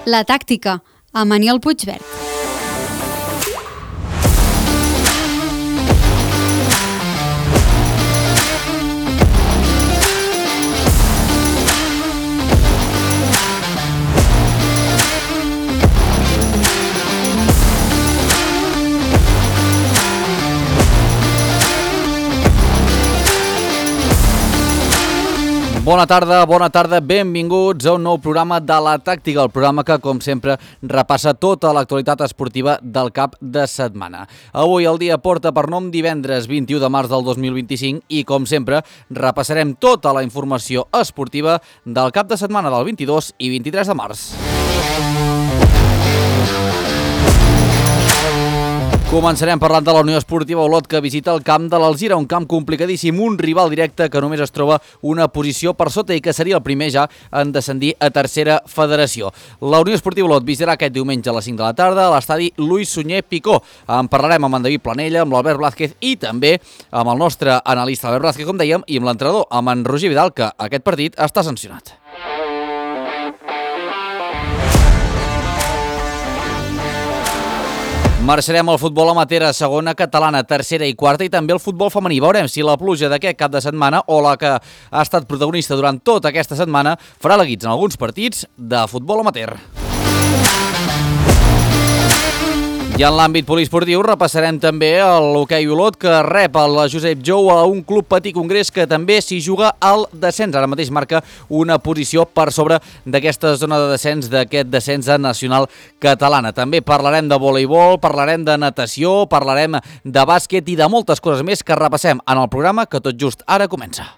La tàctica, amb Aniol Puigverd. Bona tarda, benvinguts a un nou programa de La Tàctica, el programa que, com sempre, repassa tota l'actualitat esportiva del cap de setmana. Avui el dia porta per nom divendres 21 de març del 2025 i, com sempre, repassarem tota la informació esportiva del cap de setmana del 22 i 23 de març. Començarem parlant de la Unió Esportiva Olot, que visita el camp de l'Alzira, un camp complicadíssim, un rival directe que només es troba una posició per sota i que seria el primer ja en descendir a tercera federació. La Unió Esportiva Olot visitarà aquest diumenge a les 5 de la tarda a l'estadi Luis Sunyer Picó. En parlarem amb en David Planella, amb l'Albert Blázquez i també amb el nostre analista Albert Blázquez, com dèiem, i amb l'entrenador, amb en Roger Vidal, que aquest partit està sancionat. Marxarem al futbol amateur a segona catalana, tercera i quarta i també el futbol femení. Veurem si la pluja d'aquest cap de setmana o la que ha estat protagonista durant tota aquesta setmana farà la guitza en alguns partits de futbol amateur. I en l'àmbit poliesportiu repassarem també l'hoquei Olot, que rep el Josep Jou a un club Patí Congrés que també s'hi juga al descens. Ara mateix marca una posició per sobre d'aquesta zona de descens, d'aquest descens a nacional catalana. També parlarem de voleibol, parlarem de natació, parlarem de bàsquet i de moltes coses més que repassem en el programa que tot just ara comença.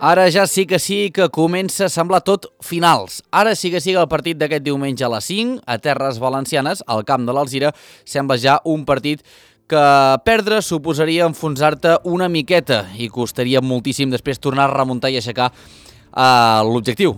Ara ja sí que comença a semblar tot finals. Ara sí que el partit d'aquest diumenge a les 5, a Terres Valencianes, al camp de l'Alzira, sembla ja un partit que perdre suposaria enfonsar-te una miqueta i costaria moltíssim després tornar a remuntar i aixecar l'objectiu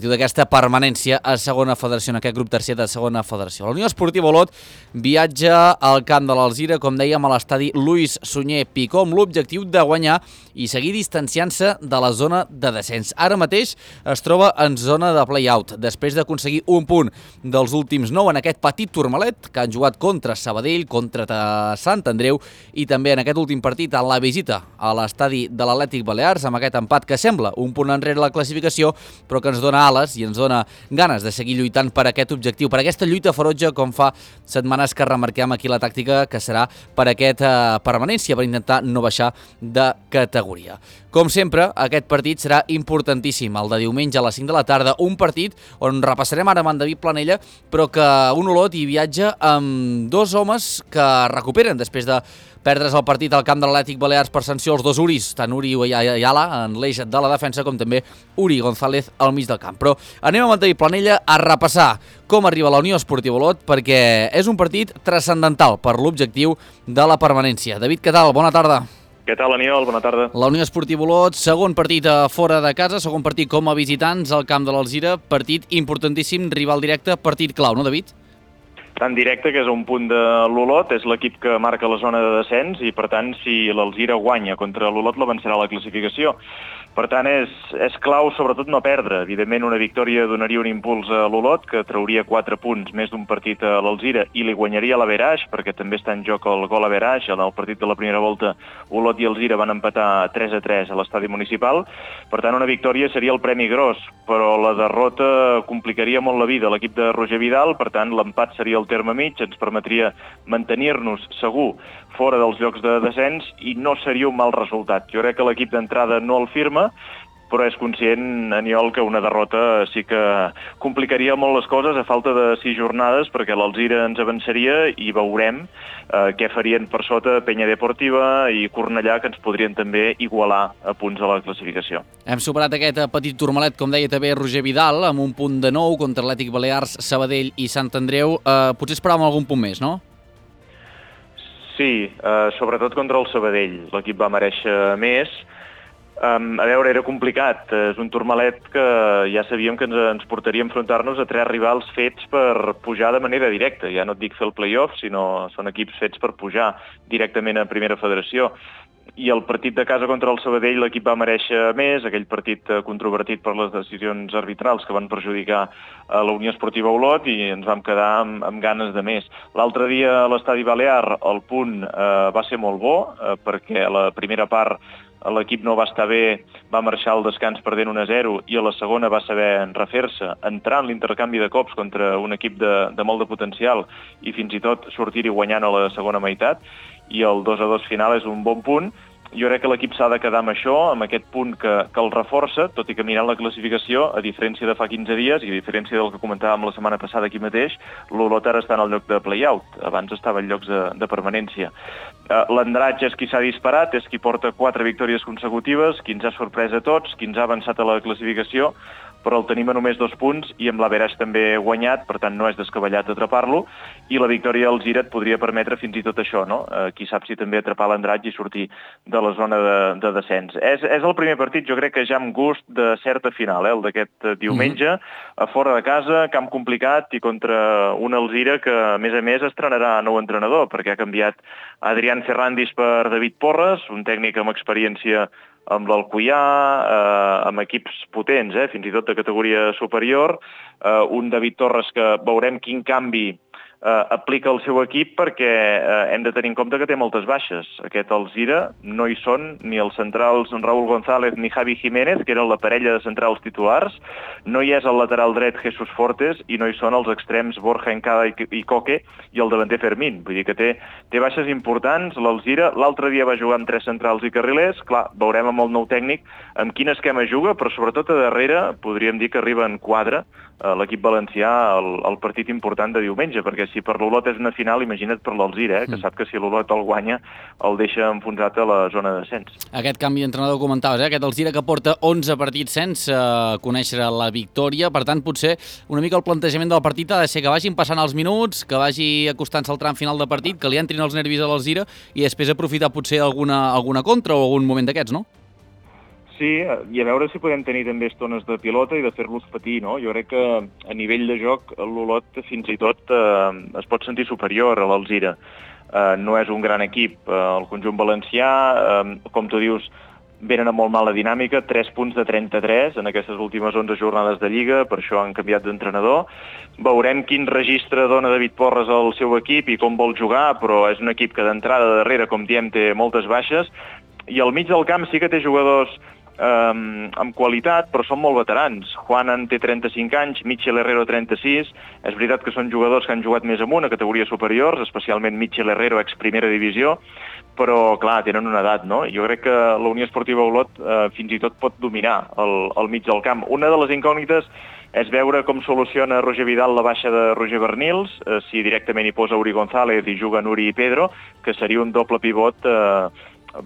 d'aquesta permanència a segona federació, en aquest grup tercer de segona federació. La Unió Esportiva Olot viatja al camp de l'Alzira, com dèiem, a l'estadi Luis Sunyer Picó, amb l'objectiu de guanyar i seguir distanciant-se de la zona de descens. Ara mateix es troba en zona de play-out, després d'aconseguir un punt dels últims 9 en aquest petit turmalet que han jugat contra Sabadell, contra Sant Andreu i també en aquest últim partit en la visita a l'estadi de l'Atlètic Balears, amb aquest empat que sembla un punt enrere la classificació, però que ens dona ales i ens dona ganes de seguir lluitant per aquest objectiu, per aquesta lluita ferotge, com fa setmanes que remarquem aquí la tàctica, que serà per aquesta permanència, per intentar no baixar de categoria. Com sempre, aquest partit serà importantíssim, el de diumenge a les 5 de la tarda, un partit on repassarem ara amb en David Planella, però que un Olot hi viatja amb dos homes que recuperen després de perdre's el partit al camp de l'Atlètic Balears per sanció als dos Uris, tant Uri Ayala en l'eix de la defensa com també Uri González al mig del camp. Però anem amb en David Planella a repassar com arriba la Unió Esportiva Olot, perquè és un partit transcendental per l'objectiu de la permanència. David, què tal? Bona tarda. Què tal, Aniol? Bona tarda. La Unió Esportiva Olot, segon partit fora de casa, segon partit com a visitants al camp de l'Alzira, partit importantíssim, rival directe, partit clau, no, David? Tan directe que és un punt de l'Olot, és l'equip que marca la zona de descens i, per tant, si l'Alzira guanya contra l'Olot, l'avançarà a la classificació. Per tant, és clau sobretot no perdre. Evidentment, una victòria donaria un impuls a l'Olot, que trauria 4 punts més d'un partit a l'Alzira i li guanyaria l'Averaix, perquè també està en joc el gol Averaix. En el partit de la primera volta, Olot i Alzira van empatar 3-3 a l'estadi municipal. Per tant, una victòria seria el premi gros, però la derrota complicaria molt la vida a l'equip de Roger Vidal. Per tant, l'empat seria el terme mig, ens permetria mantenir-nos segur fora dels llocs de descens i no seria un mal resultat. Jo crec que l'equip d'entrada no el firma, però és conscient, Aniol, que una derrota sí que complicaria molt les coses a falta de 6 jornades, perquè l'Alzira ens avançaria i veurem què farien per sota Penya Deportiva i Cornellà, que ens podrien també igualar a punts a la classificació. Hem superat aquest petit turmalet, com deia també Roger Vidal, amb un punt de 9 contra Atlètic Balears, Sabadell i Sant Andreu. Potser esperàvem algun punt més, no? Sí, sobretot contra el Sabadell. L'equip va merèixer més. A veure, era complicat. És un turmalet que ja sabíem que ens portaria a enfrontar-nos a 3 rivals fets per pujar de manera directa. Ja no et dic fer el play-off, sinó són equips fets per pujar directament a Primera Federació. I el partit de casa contra el Sabadell l'equip va merèixer més, aquell partit controvertit per les decisions arbitrals que van perjudicar a la Unió Esportiva Olot, i ens vam quedar amb ganes de més. L'altre dia a l'Estadi Balear el punt va ser molt bo, perquè a la primera part l'equip no va estar bé, va marxar al descans perdent 1-0 i a la segona va saber refer-se, entrar en l'intercanvi de cops contra un equip de molt de potencial i fins i tot sortir-hi guanyant a la segona meitat, i el 2-2 final és un bon punt. Jo crec que l'equip s'ha de quedar amb això, amb aquest punt que el reforça, tot i que mirant la classificació, a diferència de fa 15 dies i a diferència del que comentàvem la setmana passada aquí mateix, l'Olot ara està en el lloc de play-out, abans estava en llocs de permanència. L'Andratx és qui s'ha disparat, és qui porta 4 victòries consecutives, qui ens ha sorprès a tots, qui ens ha avançat a la classificació, però el tenim a només 2 punts i amb l'Averaix també guanyat, per tant no és descabellat atrapar-lo, i la victòria al Gira et podria permetre fins i tot això, no? Qui sap si també atrapar l'Andratx i sortir de la zona de descens. És el primer partit, jo crec que ja amb gust de certa final, el d'aquest diumenge, a fora de casa, camp complicat i contra un Alzira que, a més, estrenarà nou entrenador, perquè ha canviat Adrián Ferrandis per David Porres, un tècnic amb experiència amb l'Alcoià, amb equips potents, fins i tot de categoria superior, un David Torres que veurem quin canvi aplica el seu equip, perquè hem de tenir en compte que té moltes baixes. Aquest Alzira no hi són ni els centrals Raúl González ni Javi Jiménez, que eren la parella de centrals titulars, no hi és el lateral dret Jesús Fortes i no hi són els extrems Borja Encada i Coque i el davanter Fermín. Vull dir que té baixes importants l'Alzira. L'altre dia va jugar amb 3 centrals i carrilers. Clar, veurem amb el nou tècnic amb quin esquema juga, però sobretot a darrere podríem dir que arriba en quadre l'equip valencià al partit important de diumenge, perquè si per l'Olot és una final, imagina't per l'Alzira, que sap que si l'Olot el guanya el deixa enfonsat a la zona de descens. Aquest canvi d'entrenador comentaves, aquest Alzira que porta 11 partits sense conèixer la victòria, per tant potser una mica el plantejament del partit ha de ser que vagin passant els minuts, que vagi acostant-se al tram final de partit, que li entrin els nervis a l'Alzira i després aprofitar potser alguna contra o algun moment d'aquests, no? Sí, i a veure si podem tenir també estones de pilota i de fer-los patir, no? Jo crec que a nivell de joc l'Olot fins i tot es pot sentir superior a l'Alzira. No és un gran equip. El conjunt valencià, com tu dius, venen amb molt mala dinàmica, 3 punts de 33 en aquestes últimes 11 jornades de Lliga, per això han canviat d'entrenador. Veurem quin registre dona David Porres al seu equip i com vol jugar, però és un equip que d'entrada de darrere, com diem, té moltes baixes, i al mig del camp sí que té jugadors amb qualitat, però són molt veterans. Juanan té 35 anys, Michel Herrero 36. És veritat que són jugadors que han jugat més amunt a categories superiors, especialment Michel Herrero, ex-primera divisió, però, clar, tenen una edat, no? Jo crec que la Unió Esportiva Olot fins i tot pot dominar el mig del camp. Una de les incògnites és veure com soluciona Roger Vidal la baixa de Roger Bernils, si directament hi posa Uri González i juguen Uri i Pedro, que seria un doble pivot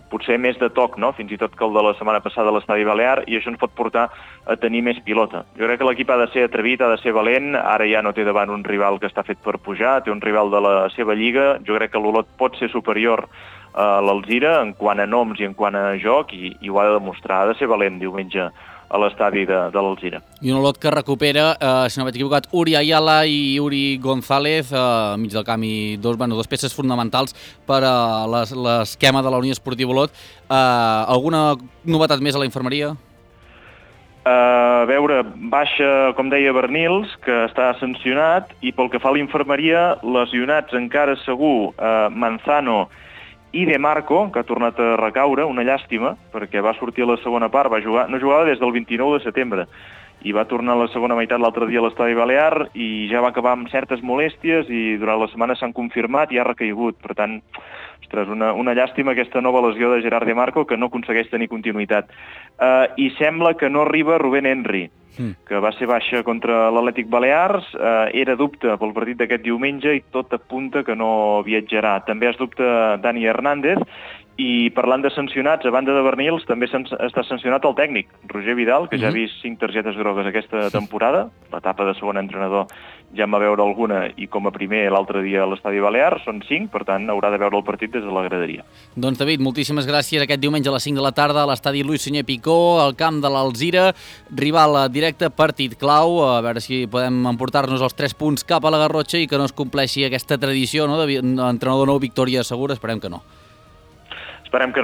potser més de toc, no? Fins i tot que el de la setmana passada a l'Estadi Balear, i això ens pot portar a tenir més pilota. Jo crec que l'equip ha de ser atrevit, ha de ser valent, ara ja no té davant un rival que està fet per pujar, té un rival de la seva lliga. Jo crec que l'Olot pot ser superior a l'Alzira en quant a noms i en quant a joc, i ho ha de demostrar, ha de ser valent diumenge a l'estadi de l'Alzira. I un Olot que recupera, si no vaig equivocat, Uri Ayala i Uri González, mig del camp, i dos peces fonamentals per a l'esquema de la Unió Esportiva Olot. Alguna novetat més a la infermeria? A veure, baixa, com deia, Bernils, que està sancionat, i pel que fa a la infermeria, lesionats encara segur Manzano i De Marco, que ha tornat a recaure, una llàstima, perquè va sortir a la segona part, no jugava des del 29 de setembre, i va tornar a la segona meitat l'altre dia a l'Estadi Balear i ja va acabar amb certes molèsties i durant la setmana s'han confirmat i ha recaigut. Per tant, ostres, una llàstima aquesta nova lesió de Gerard De Marco que no aconsegueix tenir continuïtat. I sembla que no arriba Rubén Henry, que va ser baixa contra l'Atlètic Balears, era dubte pel partit d'aquest diumenge i tot apunta que no viatjarà. També es dubta Dani Hernández. I parlant de sancionats, a banda de Bernils, també està sancionat el tècnic, Roger Vidal, que ja ha vist 5 targetes grogues aquesta temporada. L'etapa de segon entrenador ja en va veure alguna i com a primer l'altre dia a l'Estadi Balear, són 5, per tant haurà de veure el partit des de la graderia. Doncs David, moltíssimes gràcies. Aquest diumenge a les 5 de la tarda a l'Estadi Luis Sunyer Picó, al camp de l'Alzira, rival directe, partit clau, a veure si podem emportar-nos els 3 punts cap a la Garrotxa i que no es compleixi aquesta tradició, no, d'entrenador nou, victòria segura, esperem que no. Esperem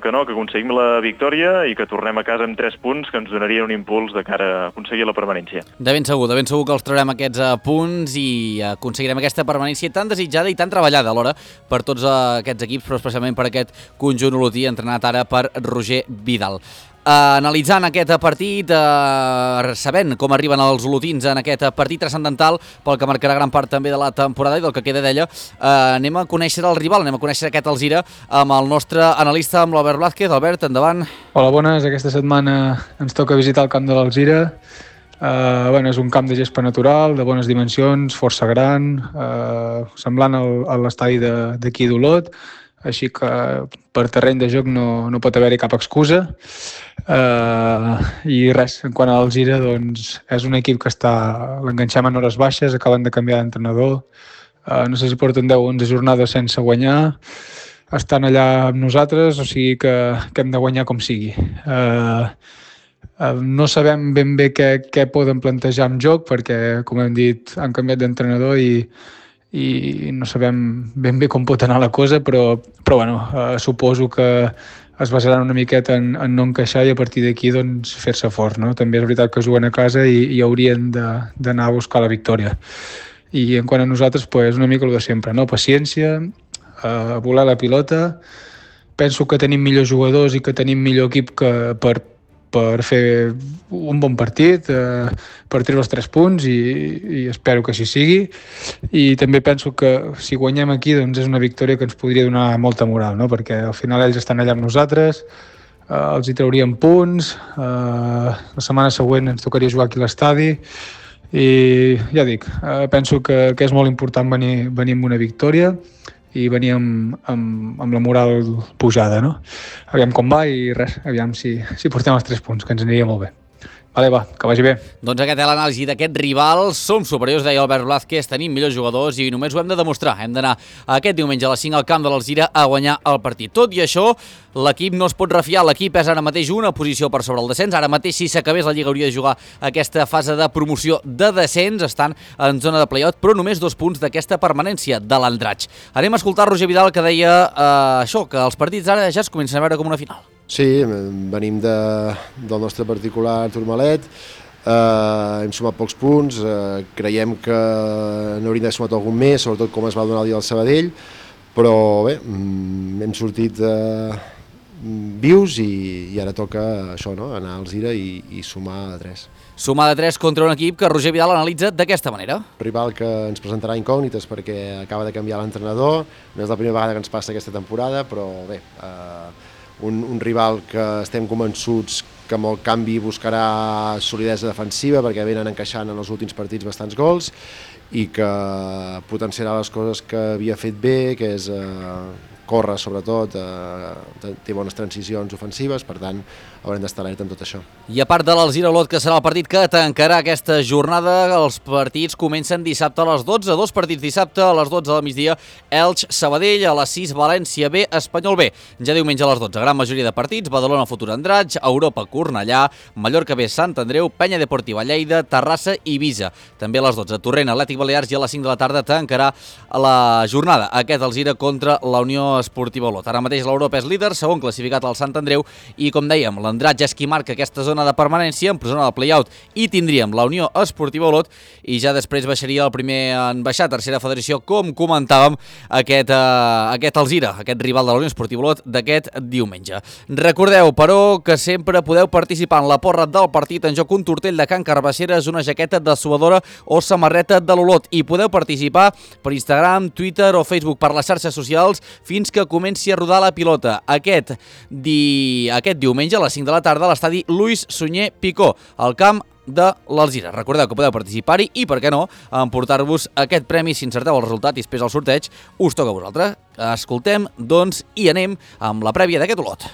que no, que aconseguim la victòria i que tornem a casa amb 3 punts que ens donarien un impuls de cara a aconseguir la permanència. De ben segur que els traurem aquests punts i aconseguirem aquesta permanència tan desitjada i tan treballada alhora per tots aquests equips, però especialment per aquest conjunt olotí entrenat ara per Roger Vidal. Analitzant aquest partit, sabent com arriben els olotins en aquest partit transcendental pel que marcarà gran part també de la temporada i del que queda d'ella, anem a conèixer el rival, anem a conèixer aquest Alzira amb el nostre analista, amb l'Albert Blázquez. Albert, endavant. Hola, bones. Aquesta setmana ens toca visitar el camp de l'Alzira. És un camp de gespa natural, de bones dimensions, força gran, semblant a l'estadi d'aquí d'Olot, així que per terreny de joc no pot haver-hi cap excusa. I res, en quant a l'Alzira, doncs, és un equip que l'enganxem en hores baixes, acaben de canviar d'entrenador, no sé si porten 10 o 11 jornades sense guanyar, estan allà amb nosaltres, o sigui que hem de guanyar com sigui. No sabem ben bé què poden plantejar en joc, perquè, com hem dit, han canviat d'entrenador i no sabem ben bé com pot anar la cosa, però suposo que es basaran una miqueta en no encaixar i a partir d'aquí doncs, fer-se fort, no? També és veritat que juguen a casa i haurien d'anar a buscar la victòria. I en quant a nosaltres, una mica el de sempre, no? Paciència, volar la pilota. Penso que tenim millors jugadors i que tenim millor equip per fer un bon partit, per treure els 3 punts i espero que així sigui. I també penso que si guanyem aquí doncs és una victòria que ens podria donar molta moral, no? Perquè al final ells estan allà amb nosaltres, els hi trauríem punts, la setmana següent ens tocaria jugar aquí a l'estadi i ja dic, penso que és molt important venir amb una victòria i venir amb la moral pujada, no? Aviam com va i res, aviam si portem els 3 punts, que ens aniria molt bé. Vale, va, que vagi bé. Doncs aquest és l'anàlisi d'aquest rival. Som superiors, deia Albert Blázquez, tenim millors jugadors i només ho hem de demostrar. Hem d'anar aquest diumenge a les 5 al camp de l'Alzira a guanyar el partit. Tot i això, l'equip no es pot refiar. L'equip és ara mateix una posició per sobre el descens. Ara mateix, si s'acabés la Lliga, hauria de jugar aquesta fase de promoció de descens. Estan en zona de play-out, però només 2 punts d'aquesta permanència de l'Andratx. Anem a escoltar Roger Vidal, que deia que els partits ara ja es comencen a veure com una final. Sí, venim del nostre particular turmalet, hem sumat pocs punts, creiem que n'hauríem d'haver sumat algun més, sobretot com es va donar el dia del Sabadell, però bé, hem sortit vius i ara toca això, no? Anar a Alzira i sumar de 3. Sumar de 3 contra un equip que Roger Vidal analitza d'aquesta manera. Rival que ens presentarà incògnites perquè acaba de canviar l'entrenador, no és la primera vegada que ens passa aquesta temporada, però bé, un rival que estem convençuts que amb el canvi buscarà solidesa defensiva perquè venen encaixant en els últims partits bastants gols i que potenciarà les coses que havia fet bé, que és córrer sobretot, té bones transicions ofensives, per tant haurem d'estar alerta amb tot això. I a part de l'Alzira Olot, que serà el partit que tancarà aquesta jornada, els partits comencen dissabte a les 12, 2 partits dissabte a les 12 del migdia, Elx, Sabadell, a les 6, València B, Espanyol B. Ja diumenge a les 12, gran majoria de partits, Badalona Futur Andratx, Europa Cornellà, Mallorca B, Sant Andreu, Penya Deportiva Lleida, Terrassa i Ibiza. També a les 12, Torrent, Atlètic Balears i a les 5 de la tarda tancarà la jornada. Aquest Alzira contra la Unió Esportiva Olot. Ara mateix l'Europa és líder, segon classificat al Sant Andreu i, com dèiem, l'Andratx és qui marca aquesta zona de permanència, en zona de play-out, i tindríem la Unió Esportiva Olot i ja després baixaria el primer en baixar, tercera federació, com comentàvem, aquest Alzira, aquest rival de la Unió Esportiva Olot d'aquest diumenge. Recordeu, però, que sempre podeu participar en la porra del partit, en joc un tortell de Can Carbasseres, una jaqueta de suadora o samarreta de l'Olot, i podeu participar per Instagram, Twitter o Facebook, per les xarxes socials, fins que comenci a rodar la pilota. Aquest diumenge a les 5 de la tarda a l'estadi Lluís Sunyer Picó, al camp de l'Alzira. Recordeu que podeu participar-hi i, per què no, emportar-vos aquest premi si encerteu el resultat i després el sorteig us toca a vosaltres. Escoltem, doncs, i anem amb la prèvia d'aquest Olot.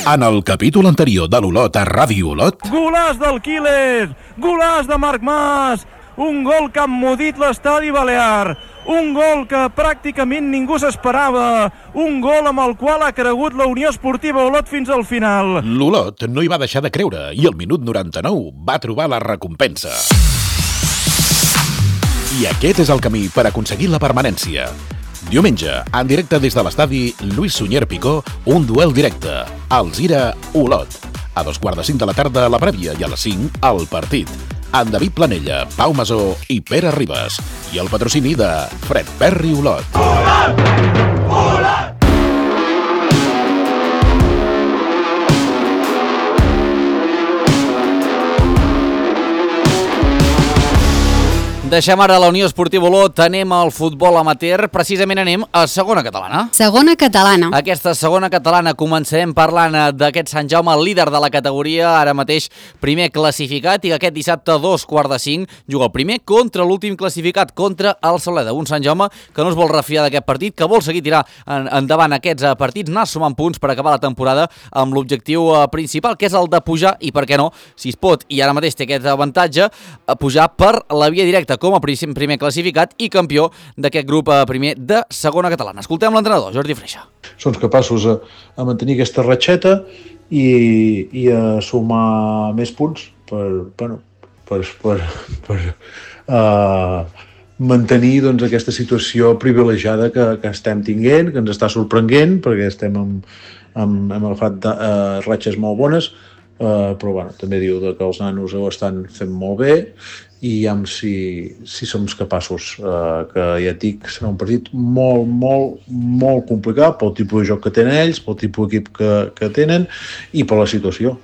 En el capítol anterior de l'Olot a Ràdio Olot... Golaç del Quiles! Golaç de Marc Mas! Un gol que ha emmudit l'estadi balear! Un gol que pràcticament ningú s'esperava! Un gol amb el qual ha cregut la Unió Esportiva Olot fins al final! L'Olot no hi va deixar de creure i al minut 99 va trobar la recompensa. I aquest és el camí per aconseguir la permanència. Diumenge, en directe des de l'estadi Lluís Sunyer Picó, un duel directe, Alzira-Olot. A 2:45 de la tarda la prèvia i a les 5 el partit. En David Planella, Pau Masó i Pere Ribas. I el patrocini de Fred Perry Olot. Olot! Olot! Deixem ara la Unió Esportiva Olot, anem al futbol amateur, precisament anem a segona catalana. Segona catalana. Aquesta segona catalana començarem parlant d'aquest Sant Jaume, el líder de la categoria, ara mateix primer classificat, i aquest dissabte a 2:45 juga el primer contra l'últim classificat, contra el Sauleda. Un Sant Jaume que no es vol refiar d'aquest partit, que vol seguir tirar endavant aquests partits, anar sumant punts per acabar la temporada amb l'objectiu principal, que és el de pujar, i per què no, si es pot, i ara mateix té aquest avantatge, pujar per la via directa com a primer classificat i campió d'aquest grup primer de segona catalana. Escoltem l'entrenador, Jordi Freixa. Són capaços a mantenir aquesta ratxeta i a sumar més punts per mantenir doncs, aquesta situació privilegiada que estem tinguent, que ens està sorprenent, perquè estem hem agafat ratxes molt bones, però bueno, també diu que els nanos ho estan fent molt bé i si som capaços, que ja et dic, serà un partit molt complicat pel tipus de joc que tenen ells, pel tipus d'equip que tenen i per la situació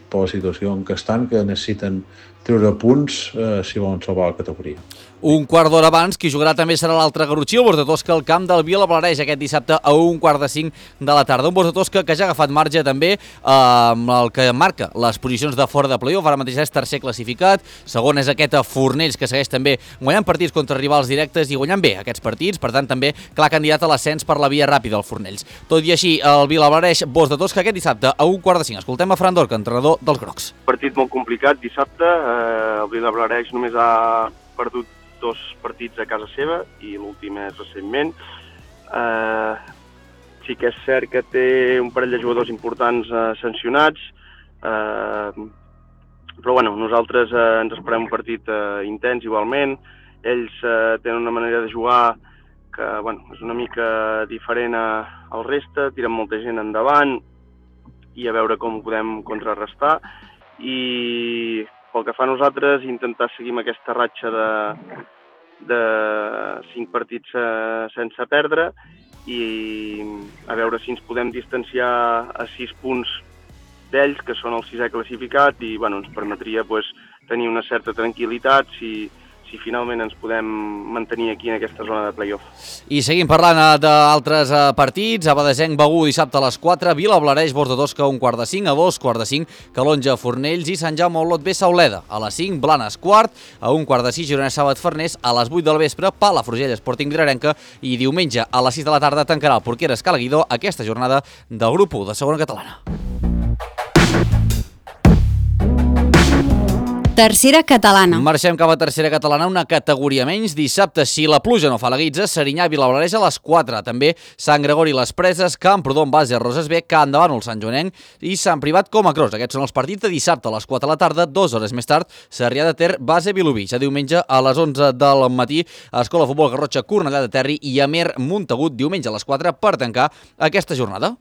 en què estan, que necessiten treure punts si volen salvar la categoria. Un quart d'hora abans, qui jugarà també serà l'altre Garrotxí, el Bosc de Tosca, al camp del Vilablareix aquest dissabte a 1:45 de la tarda. Un Bosc de Tosca que ja ha agafat marge també amb el que marca les posicions de fora de play-off. Ara mateix és tercer classificat, segon és aquest Fornells, que segueix també guanyant partits contra rivals directes i guanyant bé aquests partits, per tant també clar candidat a l'ascens per la via ràpida el Fornells. Tot i així, el Vilablareix, Bosc de Tosca aquest dissabte a 1:45. Escoltem a Fran Dorca, entrenador dels Grocs. Partit molt complicat dissabte, el Vilablareix només ha perdut 2 partits a casa seva i l'últim és recentment. Sí que és cert que té un parell de jugadors importants sancionats, però bueno, nosaltres ens esperem un partit intens igualment. Ells tenen una manera de jugar que bueno, és una mica diferent al reste, tiren molta gent endavant i a veure com ho podem contrarrestar. I pel que fa a nosaltres, intentar seguir amb aquesta ratxa de 5 partits sense perdre i a veure si ens podem distanciar a 6 punts d'ells, que són el 6è classificat, i bueno, ens permetria tenir una certa tranquil·litat si finalment ens podem mantenir aquí en aquesta zona de play-off. I seguim parlant d'altres partits. Abadesenc Begur dissabte a les 4, Vilablareix Bosc de Tosca a 1:45, a 2:45 Calonja Fornells i Sant Jaume Olot B Sauleda. A les 5 Blanes quart, a 1:45 Girona Sàbat Farners, a les 8 del vespre Palafrugell Sporting Vilarenca i diumenge a les 6 de la tarda tancarà el Porqueres Calaguidó aquesta jornada del grup 1 de segona catalana. Tercera catalana. Marxem cap a tercera catalana, una categoria menys. Dissabte, si la pluja no fa la guitza, Serinyà i Vilablareix a les 4. També Sant Gregori Les Preses, Camprodon Base, Roses B, Can de Bànol, Sant Joanenc i Sant Privat Comacros. Aquests són els partits de dissabte a les 4 de la tarda. 2 hores més tard, Sarrià de Ter, Base Vilobí. Ja diumenge a les 11 del matí, Escola Futbol Garrotxa, Cornellà de Terri i Amer Montagut, diumenge a les 4 per tancar aquesta jornada.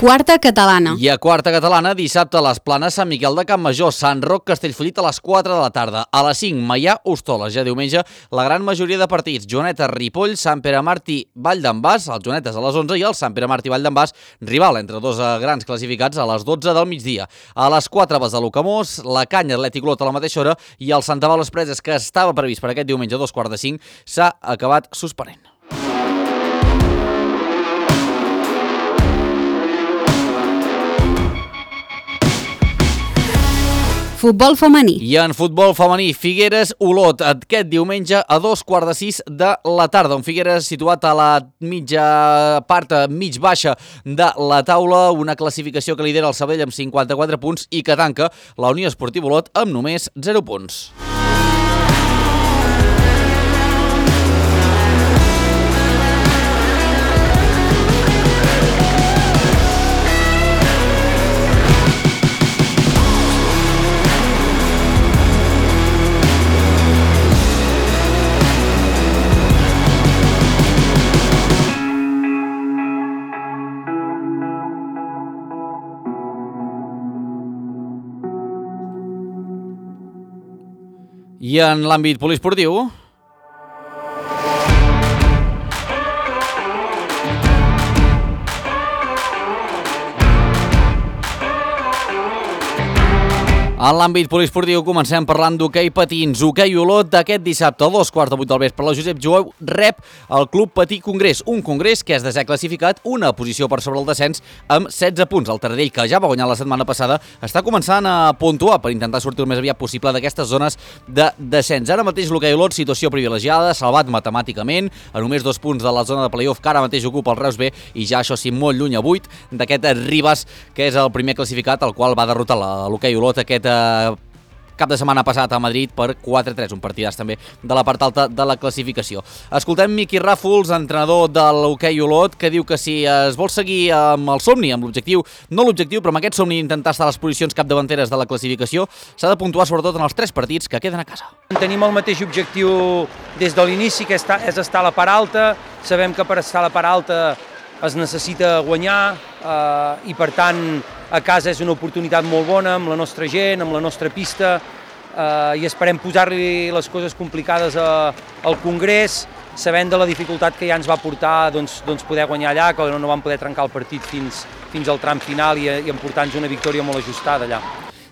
Quarta catalana. I a quarta catalana, dissabte a les Planes, Sant Miquel de Campmajor, Sant Roc, Castellfollit a les 4 de la tarda. A les 5, Maià, Hostoles. Ja diumenge, la gran majoria de partits. Joaneta, Ripoll, Sant Pere Martí, Vall d'en Bas, els Joanetes a les 11 i el Sant Pere Martí, Vall d'en Bas, rival entre dos grans classificats a les 12 del migdia. A les 4, Besalú Camós, la Canya, Atlètic Olot a la mateixa hora i el Sant Pau Les Preses, que estava previst per aquest diumenge a 2:45, s'ha acabat suspenent. Futbol femení. I en futbol femení, Figueres Olot, aquest diumenge a 2:45 de la tarda. Un Figueres situat a la mitja part, mig baixa de la taula, una classificació que lidera el Sabadell amb 54 punts i que tanca la Unió Esportiva Olot amb només 0 punts. I en l'àmbit poliesportiu... En l'àmbit poliesportiu comencem parlant d'hoquei patins. Hoquei Olot d'aquest dissabte a 2:15 del vespre. La Josep Jou rep el Club Patí Congrés, un congrés que és desè classificat, una posició per sobre el descens amb 16 punts. El Taradell, que ja va guanyar la setmana passada, està començant a puntuar per intentar sortir el més aviat possible d'aquestes zones de descens. Ara mateix l'hoquei Olot, situació privilegiada, salvat matemàticament, a només 2 punts de la zona de playoff que ara mateix ocupa el Reus B i ja això sí molt lluny a 8 d'aquest Ribas, que és el primer classificat, el qual va derrotar l'hoquei Olot aquest cap de setmana passat a Madrid per 4-3, un partidàs també de la part alta de la classificació. Escoltem Miqui Ràfols, entrenador de l'hoquei Olot, que diu que si es vol seguir amb el somni, amb l'objectiu, no l'objectiu, però amb aquest somni d'intentar estar a les posicions capdavanteres de la classificació, s'ha de puntuar sobretot en els 3 partits que queden a casa. Tenim el mateix objectiu des de l'inici, que és estar a la part alta. Sabem que per estar a la part alta es necessita guanyar i per tant a casa és una oportunitat molt bona amb la nostra gent, amb la nostra pista i esperem posar-li les coses complicades al Congrés, sabent de la dificultat que ja ens va portar poder guanyar allà, que no vam poder trencar el partit fins al tram final i emportar-nos una victòria molt ajustada allà.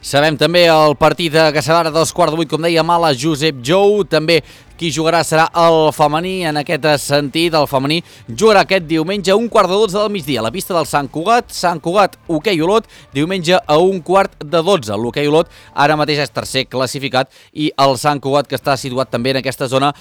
Sabem també el partit que serà a 2:15, com dèiem, a la Josep Jou. També qui jugarà serà el femení. En aquest sentit, el femení jugarà aquest diumenge a 11:45 del migdia a la pista del Sant Cugat. Sant Cugat, hoquei Olot, diumenge a 11:45. L'hoquei Olot ara mateix és tercer classificat i el Sant Cugat, que està situat també en aquesta zona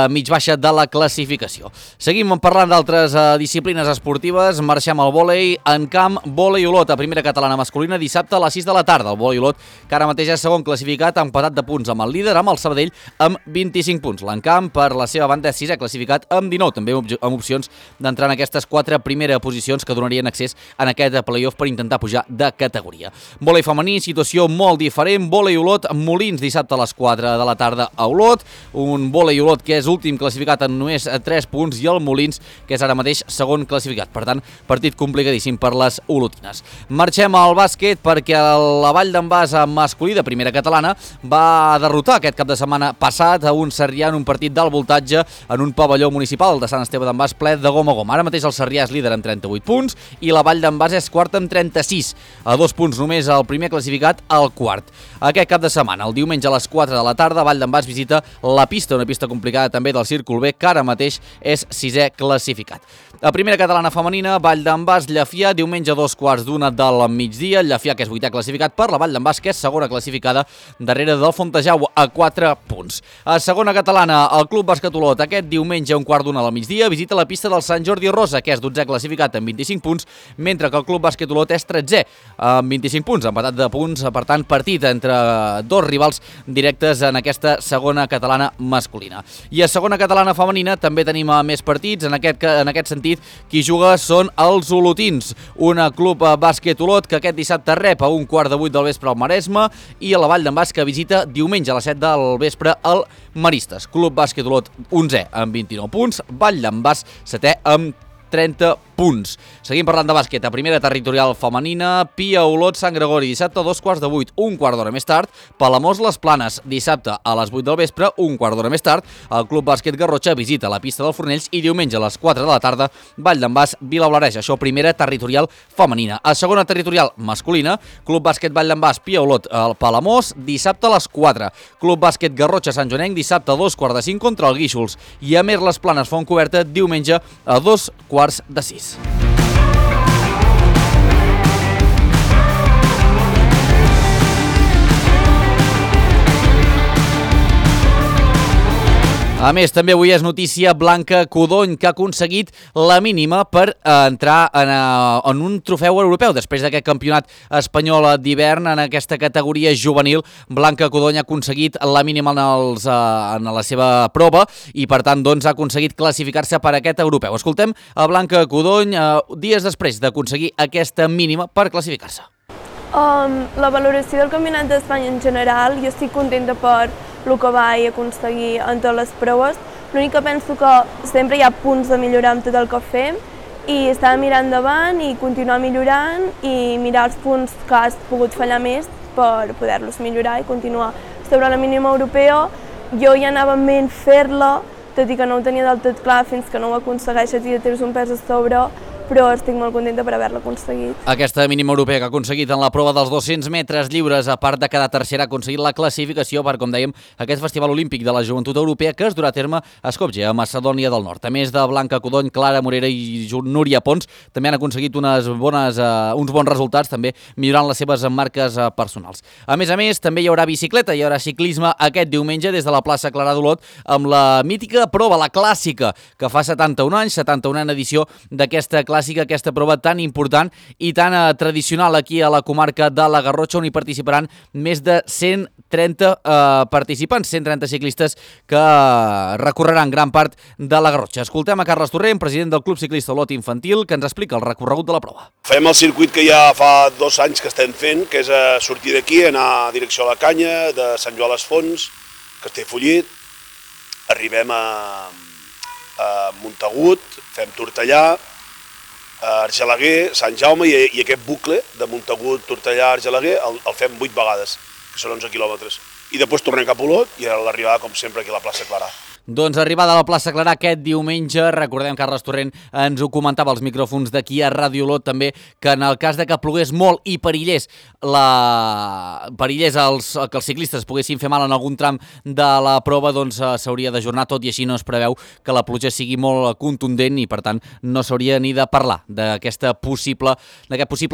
mig baixa de la classificació. Seguim parlant d'altres disciplines esportives. Marxem al vòlei en camp. Vòlei Olot a primera catalana masculina dissabte a les 6 de la tarda. El vòlei Olot, que ara mateix és segon classificat, empatat de punts amb el líder, amb el Sabadell, amb 25 punts. L'Encamp, per la seva banda, és sisè classificat amb 19, també amb opcions d'entrar en aquestes 4 primeres posicions que donarien accés en aquest playoff per intentar pujar de categoria. Vòlei femení, situació molt diferent. Vòlei Olot, Molins, dissabte a les 4 de la tarda a Olot. Un vòlei Olot que és últim classificat amb només 3 punts i el Molins, que és ara mateix segon classificat. Per tant, partit complicadíssim per les olotines. Marxem al bàsquet perquè la Vall d'en Bas masculí de primera catalana va derrotar aquest cap de setmana passat a un Sarrià en un partit d'alt voltatge en un pavelló municipal de Sant Esteve d'en Bas ple de gom a gom. Ara mateix el Sarrià és líder amb 38 punts i la Vall d'en Bas és quart amb 36, a 2 punts només el primer classificat al quart. Aquest cap de setmana, el diumenge a les 4 de la tarda, Vall d'en Bas visita la pista, una pista complicada també del Círcul B, que ara mateix és 6è classificat. A primera catalana femenina, Vall d'en Bas, Llefià, diumenge a 2:15 del migdia. Llefià, que és 8è classificat per la Vall d'en Bas, que és segona classificada darrere del Fontejau a 4 punts. A segona catalana, el Club Bàsquet Olot, aquest diumenge a 1:15 del migdia, visita la pista del Sant Jordi Rosa, que és 12è classificat amb 25 punts, mentre que el Club Bàsquet Olot és 13è amb 25 punts, empatat de punts, per tant, partit entre dos rivals directes en aquesta segona catalana masculina. I a segona catalana femenina també tenim més partits, en aquest sentit, qui juga són els olotins, un Club Bàsquet Olot que aquest dissabte rep a 1:15 del vespre al Maresme i a la Vall d'en Bas, que visita diumenge a les 7 del vespre al Maristes. Club Bàsquet Olot 11è amb 29 punts, Vall d'en Bas 7è amb 30 punts. Seguim parlant de bàsquet. A primera territorial femenina, Pia Olot, Sant Gregori, dissabte a 2:15, un quart d'hora més tard. Palamós, Les Planes, dissabte a les 8 del vespre, un quart d'hora més tard. El Club Bàsquet Garrotxa visita la pista del Fornells i diumenge a les 4 de la tarda, Vall d'en Bas, Vilablareix. Això primera territorial femenina. A segona territorial masculina, Club Bàsquet Vall d'en Bas, Pia Olot, Palamós, dissabte a les 4. Club Bàsquet Garrotxa, Sant Joanenc, dissabte a 2:45 contra el Guíxols. I a més, Les Planes, Fontcoberta, diumenge a 2:15. A més, també avui és notícia Blanca Codony, que ha aconseguit la mínima per entrar en un trofeu europeu. Després d'aquest campionat espanyol d'hivern, en aquesta categoria juvenil, Blanca Codony ha aconseguit la mínima en la seva prova i, per tant, doncs, ha aconseguit classificar-se per aquest europeu. Escoltem a Blanca Codony dies després d'aconseguir aquesta mínima per classificar-se. La valoració del Campionat d'Espanya en general, jo estic contenta per el que vaig aconseguir en totes les proves. L'únic que penso que sempre hi ha punts de millorar amb tot el que fem i estar mirant endavant i continuar millorant i mirar els punts que has pogut fallar més per poder-los millorar i continuar. Sobre la mínima europea, jo ja anava en ment fer-la, tot i que no ho tenia del tot clar fins que no ho aconsegueixes i ja tens un pes a sobre, però estic molt contenta per haver-la aconseguit. Aquesta mínima europea que ha aconseguit en la prova dels 200 metres lliures, a part de quedar tercera, ha aconseguit la classificació per, com dèiem, aquest Festival Olímpic de la Joventut Europea que es durà a terme a Skopje, a Macedònia del Nord. A més de Blanca Codony, Clara Morera i Núria Pons, també han aconseguit uns bons resultats, també millorant les seves marques personals. A més, també hi haurà bicicleta, hi haurà ciclisme aquest diumenge des de la plaça Clarà d'Olot amb la mítica prova, la clàssica, que fa 71 anys, 71a edició d'aquesta aquesta prova tan important i tan tradicional aquí a la comarca de la Garrotxa, on hi participaran més de 130 participants, 130 ciclistes que recorreran gran part de la Garrotxa. Escoltem a Carles Torrent, president del Club Ciclista Olot Infantil, que ens explica el recorregut de la prova. Fem el circuit que ja fa 2 anys que estem fent, que és sortir d'aquí, anar a direcció a la Canya, de Sant Joan les Fonts, Castellfollit, arribem a Montagut, fem Tortellà, Argelaguer, Sant Jaume i aquest bucle de Montagut, Tortellà, Argelaguer el fem 8 vegades, que són 11 quilòmetres. I després tornem cap a Olot i a l'arribada, com sempre, aquí a la plaça Clarà. Doncs arribada a la plaça Clarà aquest diumenge, recordem, Carles Torrent ens ho comentava als micròfons d'aquí a Ràdio Olot també, que en el cas de que plogués molt i perillés que els ciclistes poguessin fer mal en algun tram de la prova, doncs s'hauria d'ajornar, tot i així no es preveu que la pluja sigui molt contundent i per tant no s'hauria ni de parlar d'aquest possible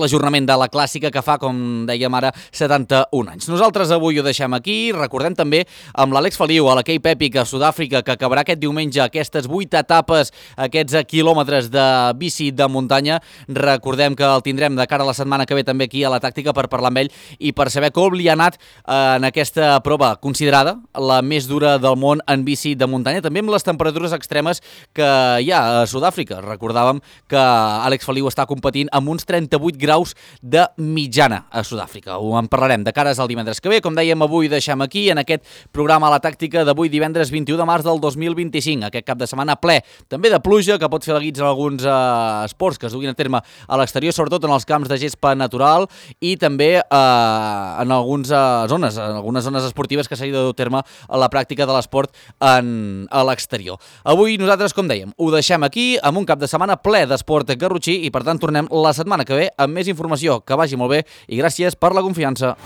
ajornament de la clàssica que fa, com dèiem ara, 71 anys. Nosaltres avui ho deixem aquí, recordem també amb l'Àlex Feliu a la Cape Epic a Sud-àfrica, que acabarà aquest diumenge aquestes 8 etapes, aquests quilòmetres de bici de muntanya. Recordem que el tindrem de cara a la setmana que ve també aquí a la Tàctica per parlar amb ell i per saber com li ha anat en aquesta prova considerada la més dura del món en bici de muntanya, també amb les temperatures extremes que hi ha a Sud-àfrica. Recordàvem que Àlex Feliu està competint amb uns 38 graus de mitjana a Sud-àfrica. Ho en parlarem de cares al divendres que ve. Com dèiem, avui deixem aquí en aquest programa a la Tàctica d'avui divendres 21 de març del 2025, aquest cap de setmana ple també de pluja, que pot fer la guits en alguns esports que es duguin a terme a l'exterior, sobretot en els camps de gespa natural i també en algunes zones esportives que s'hagi de dur a terme a la pràctica de l'esport a l'exterior. Avui nosaltres, com dèiem, ho deixem aquí amb un cap de setmana ple d'esport garrotxí i per tant tornem la setmana que ve amb més informació. Que vagi molt bé i gràcies per la confiança.